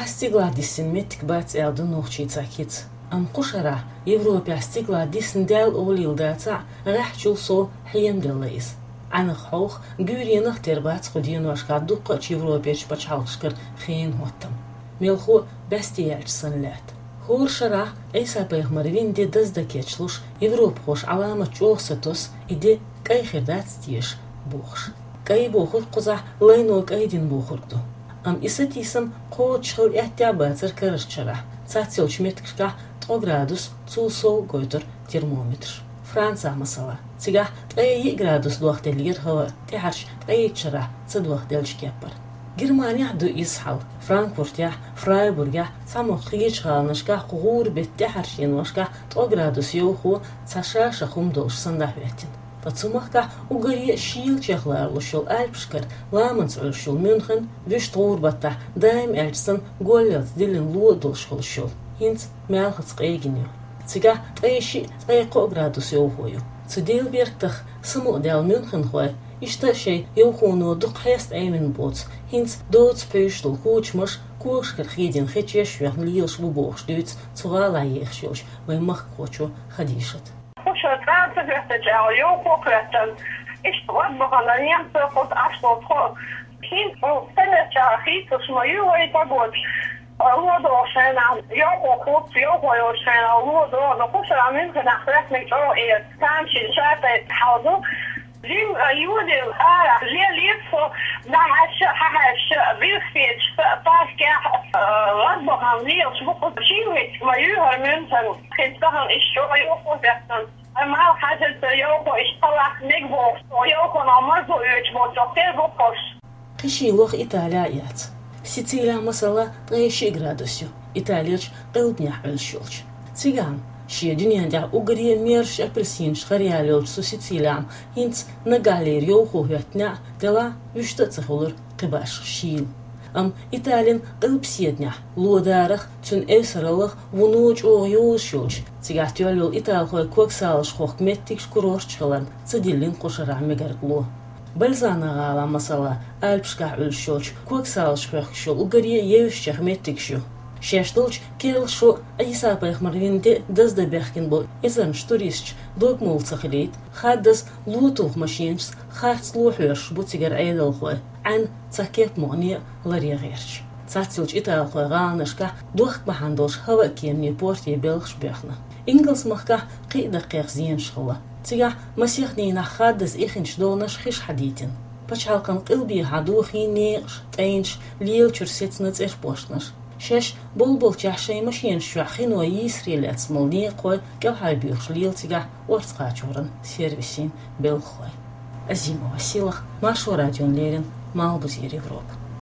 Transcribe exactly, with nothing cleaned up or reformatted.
Стигалахь диссина меттиг бац аьлла ду нохчийн цхьа кица. Амма кху шарахь Европехь стигалахь диссина даьлла олийла дацахь а, гӀеххьачул сов хьенан делла иза. Ӏаьнах хьовха, гуьйренах тера бац кху деношкахь дуккхачу Европерчу пачхьалкхашкара хенан хӀоттам. Мелхо а баьсте яьлча санна лаьтта. ХӀора шарахь Ӏийса-пайхамар вина де даздан кечлуш, европахоша Ӏаламат чӀогӀа сатосу, и де кӀай хир дац теша бохуш. КӀай бохург кхузахь лайно кӀай дина бохург ду. Амма и сатийсам кхочуш хилла аьттехьа а бацара карарчу шарахь. Цхьаццайолчу меттигашкахь ткъа градус, цул сов гойтура термометраш. Францехь, масала, цигахь ткъе йиъ градус дохделлера хӀаваъ, тӀаьхьарчу ткъейтта шарахь ца дохделлачу кепара. Германехь а ду иза хьал. Франкфуртехь, Фрайбургехь, цхьамогӀа кхечу гӀаланашкахь кху гӀуран беттан тӀаьхьарчу деношкахь ткъа градус йовхо цхьа ша-ша хӀума долуш санна дӀахӀоьттина. Ткъа цу махкахь уггаре а шийла чекхлалуш йолу Альпашкара ламанца Ӏуьллуш йолу Мюнхен, вуьшта гӀуран баттахь, даим аьлча санна, голлалц диллина ло а долуш хуьлуш йолу, хӀинца маьлхаца къегина ю. Цигахь ткъе шиъ, ткъе кхоъ градус йовхо ю. Цу Делан бертах самукъадаьлла мюнхенхой иштта а шайн йовхоно дукха хьеста Ӏемина боцу, хӀинца доцу пхьуьйсуш долу кучамаш когашкара хедийна хечеш а йоьхна лелаш бу бохуш дуьйцу цу гӀалахь ехаш йолчу вайн махкахочо Хадишата. Кху шарахь цкъа а ца хӀоьттича аьлла, йовхо а хӀоьттина, иштта гӀад бахана немцойн кхуза Ӏаш долу тхо. ХӀинца хӀун ца хилча хийцалуш ма ю вайн погода. Ло долчу хенахь йовхо хуц, йовхо йолчу хенахь ло до, но кху шарахь Мюнхенехь хӀоьттинарг чӀогӀа эца, тамашийна ша тайпа хьал ду. Жимма а йодийла арахь, лелийта со, дӀахьаьжча а, хьахьаьжча а, билхкечу паркехь а, гӀад бахана лелаш бу кхуза. Шина хӀетта ма ю хӀара Мюнхен, хӀинца тахана иштта чӀогӀа йовхо хӀоьттина. Амма хьажар ца йовхо иштта хьалха мега бохуш, йовхонах марзо оьцуш боцург тера бу кхуш. Кхин шийла ваха Италехь а яц. Сицилехь, масала, ткъе шиъ градус ю, Италерчу къилбанехь Ӏуьллуш йолчу. Цигахь-м, шен дуьнен тӀехь уггаре а мерзачу апельсинашца гӀараяьлла йолчу цу Сицилехь-м, хӀинца наггахьлера йовхо хӀоьттина а, делахь а вуьшта а ца хуьлура кхин башха шийла. Амма Италин къилбаседанехь, ло дарах, цуьнан эвсараллах вуно чӀогӀа йозуш йолчу, цигахь тоьлла йолу италхойн когсалаш хохку меттигаш курорташ хиларна, ца диллина кху шарахь мегарг ло. Бальзано гӀалахь, масала, Альпашкахь Ӏуьллуш йолчу когсалаш хохкуш йолу уггаре а евсачех меттигаш ю. Шаьш долчу керла шо а, Ӏийса-пайхамар вина де а даздан баьхкина болу эзарнаш туристаш дог молла ца хилийта, хаддаза ло туху машинашца харц ло хьоьшуш бу цигара Ӏедалхой, Ӏаьнан цхьа кеп мукъане а ларъян гӀерташ. Цхьаццайолчу италхойн гӀаланашкахь дохка бахьана долуш хӀаваъ кеманийн порте белхаш боьхна. Ингалс-махкахь кхин а даккхий зенаш хилла. Цигахь масех дийнахь хаддаза ихначу доланаш хиш хьадийтина. Пачхьалкхан къилбехьа дохийна некъаш, тӀайнаш, лела чуьра сецна цӀерпошнаш. Шаьш болболчехь шайн машинаш чохь хино йийсаре лаьцна болу некъахой кӀелхьарбуьйхуш лела цигахь орца кхачоран сервисийн белхахой. Азимова Силах, Маршо радиона леррина, Малхбузера Европа.